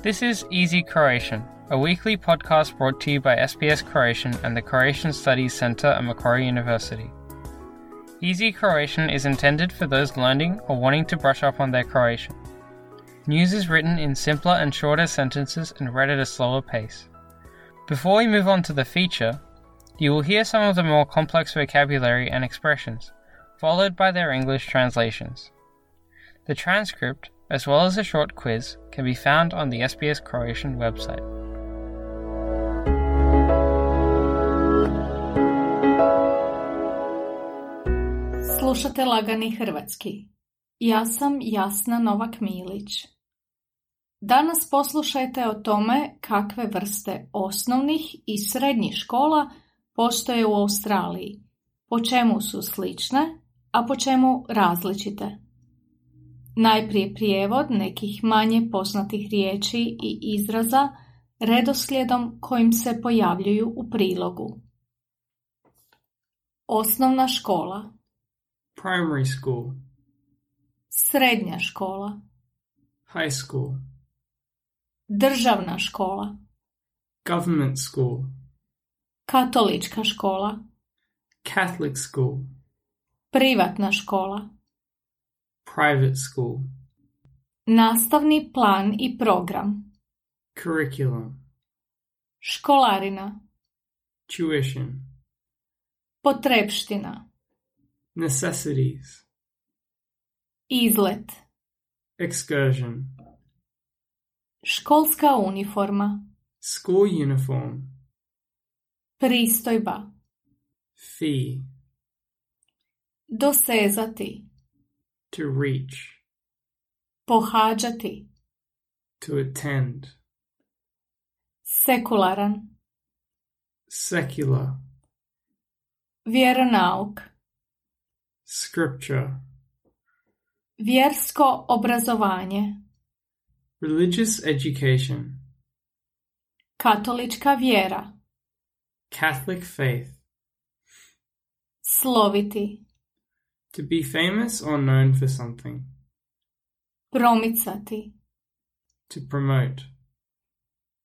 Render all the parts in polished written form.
This is Easy Croatian, a weekly podcast brought to you by SBS Croatian and the Croatian Studies Centre at Macquarie University. Easy Croatian is intended for those learning or wanting to brush up on their Croatian. News is written in simpler and shorter sentences and read at a slower pace. Before we move on to the feature, you will hear some of the more complex vocabulary and expressions, followed by their English translations. The transcript, as well as a short quiz, can be found on the SBS Croatian website. Slušate Lagani hrvatski. Ja sam Jasna Novak-Milić. Danas poslušajte o tome kakve vrste osnovnih i srednjih škola postoje u Australiji, po čemu su slične, a po čemu različite. Najprije prijevod nekih manje poznatih riječi i izraza redoslijedom kojim se pojavljuju u prilogu. Osnovna škola. Primary school. Srednja škola. High school. Državna škola. Government school. Katolička škola. Catholic school. Privatna škola. Private school. Nastavni plan i program. Curriculum. Školarina. Tuition. Potrepština. Necessities. Izlet. Excursion. Školska uniforma. School uniform. Pristojba. Fee. Dosezati. To reach. Pohađati. To attend. Sekularan. Secular. Vjeronauk. Scripture. Vjersko obrazovanje. Religious education. Katolička vjera. Catholic faith. Sloviti. To be famous or known for something. Promicati. To promote.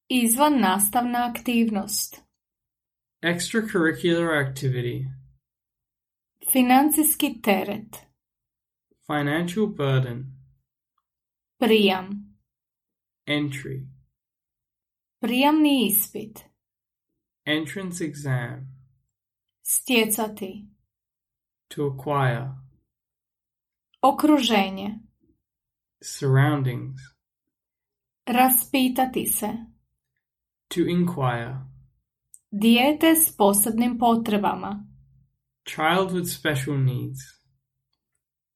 Izvan nastavna aktivnost. Extracurricular activity. Financijski teret. Financial burden. Prijam. Entry. Prijamni ispit. Entrance exam. Stjecati. To acquire. Okruženje. Surroundings. Raspitati se. To inquire. Dijete s posebnim potrebama. Child with special needs.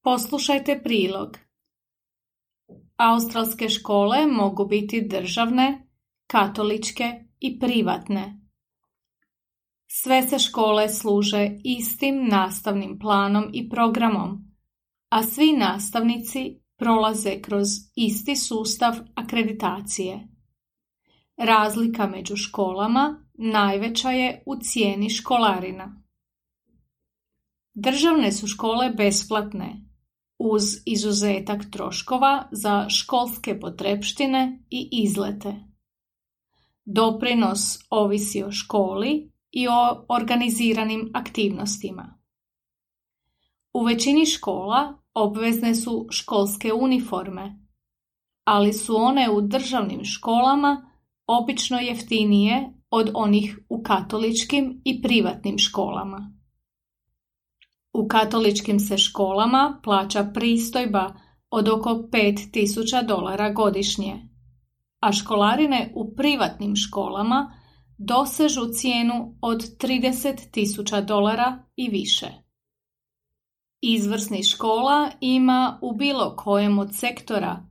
Poslušajte prilog. Australske škole mogu biti državne, katoličke i privatne. Sve se škole služe istim nastavnim planom i programom, a svi nastavnici prolaze kroz isti sustav akreditacije. Razlika među školama najveća je u cijeni školarina. Državne su škole besplatne, uz izuzetak troškova za školske potrepštine i izlete. Doprinos ovisi o školi i o organiziranim aktivnostima. U većini škola obvezne su školske uniforme, ali su one u državnim školama obično jeftinije od onih u katoličkim i privatnim školama. U katoličkim se školama plaća pristojba od oko $5,000 godišnje, a školarine u privatnim školama dosežu cijenu od $30,000 i više. Izvrsnih škola ima u bilo kojem od sektora,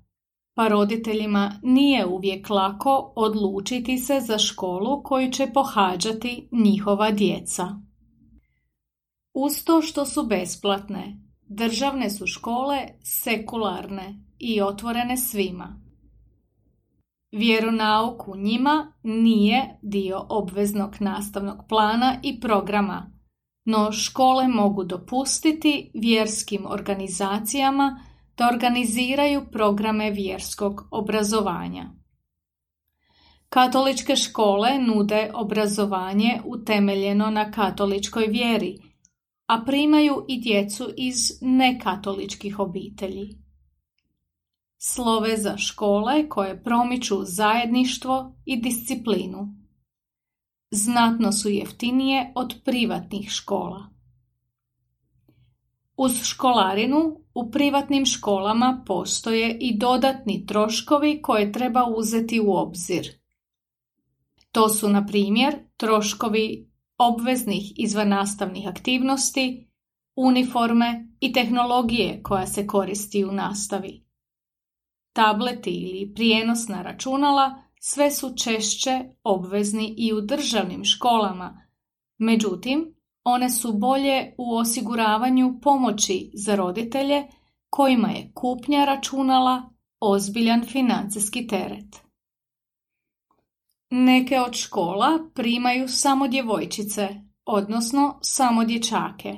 pa roditeljima nije uvijek lako odlučiti se za školu koju će pohađati njihova djeca. Uz to što su besplatne, državne su škole sekularne i otvorene svima. Vjeronauk u njima nije dio obveznog nastavnog plana i programa, no škole mogu dopustiti vjerskim organizacijama da organiziraju programe vjerskog obrazovanja. Katoličke škole nude obrazovanje utemeljeno na katoličkoj vjeri, a primaju i djecu iz nekatoličkih obitelji. Slove za škole koje promiču zajedništvo i disciplinu. Znatno su jeftinije od privatnih škola. Uz školarinu u privatnim školama postoje i dodatni troškovi koje treba uzeti u obzir. To su, na primjer, troškovi obveznih izvannastavnih aktivnosti, uniforme i tehnologije koja se koristi u nastavi. Tableti ili prijenosna računala sve su češće obvezni i u državnim školama, međutim, one su bolje u osiguravanju pomoći za roditelje kojima je kupnja računala ozbiljan financijski teret. Neke od škola primaju samo djevojčice, odnosno samo dječake.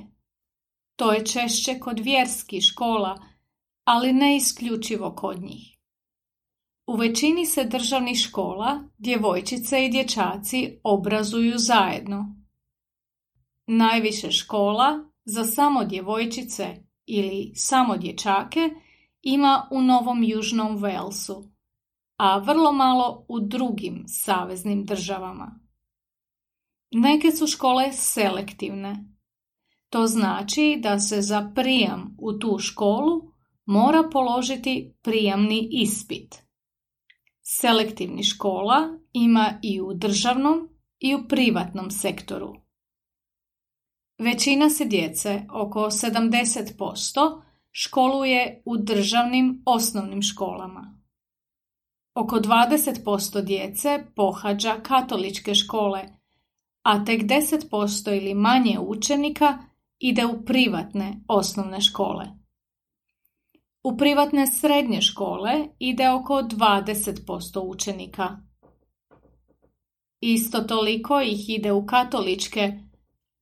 To je češće kod vjerskih škola, ali ne isključivo kod njih. U većini se državnih škola djevojčice i dječaci obrazuju zajedno. Najviše škola za samo djevojčice ili samo dječake ima u Novom Južnom Walesu, a vrlo malo u drugim saveznim državama. Neke su škole selektivne. To znači da se za prijam u tu školu mora položiti prijamni ispit. Selektivnih škola ima i u državnom i u privatnom sektoru. Većina se djece, oko 70%, školuje u državnim osnovnim školama. Oko 20% djece pohađa katoličke škole, a tek 10% ili manje učenika ide u privatne osnovne škole. U privatne srednje škole ide oko 20% učenika. Isto toliko ih ide u katoličke,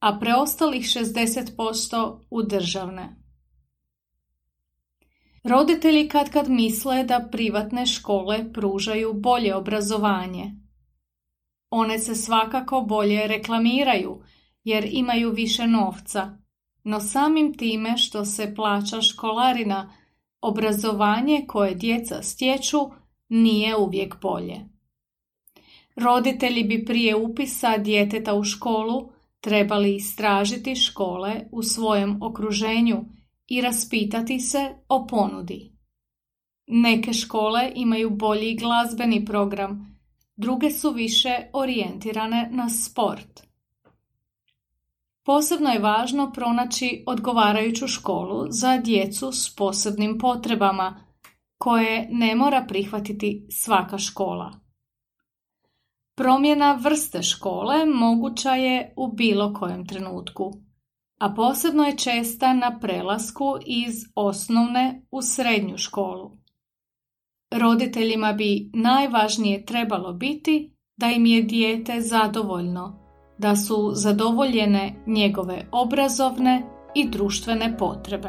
a preostalih 60% u državne. Roditelji katkad misle da privatne škole pružaju bolje obrazovanje. One se svakako bolje reklamiraju jer imaju više novca, no samim time što se plaća školarina, obrazovanje koje djeca stječu nije uvijek bolje. Roditelji bi prije upisa djeteta u školu trebali istražiti škole u svojem okruženju i raspitati se o ponudi. Neke škole imaju bolji glazbeni program, druge su više orijentirane na sport. Posebno je važno pronaći odgovarajuću školu za djecu s posebnim potrebama, koje ne mora prihvatiti svaka škola. Promjena vrste škole moguća je u bilo kojem trenutku, a posebno je česta na prelasku iz osnovne u srednju školu. Roditeljima bi najvažnije trebalo biti da im je dijete zadovoljno, da su zadovoljene njegove obrazovne i društvene potrebe.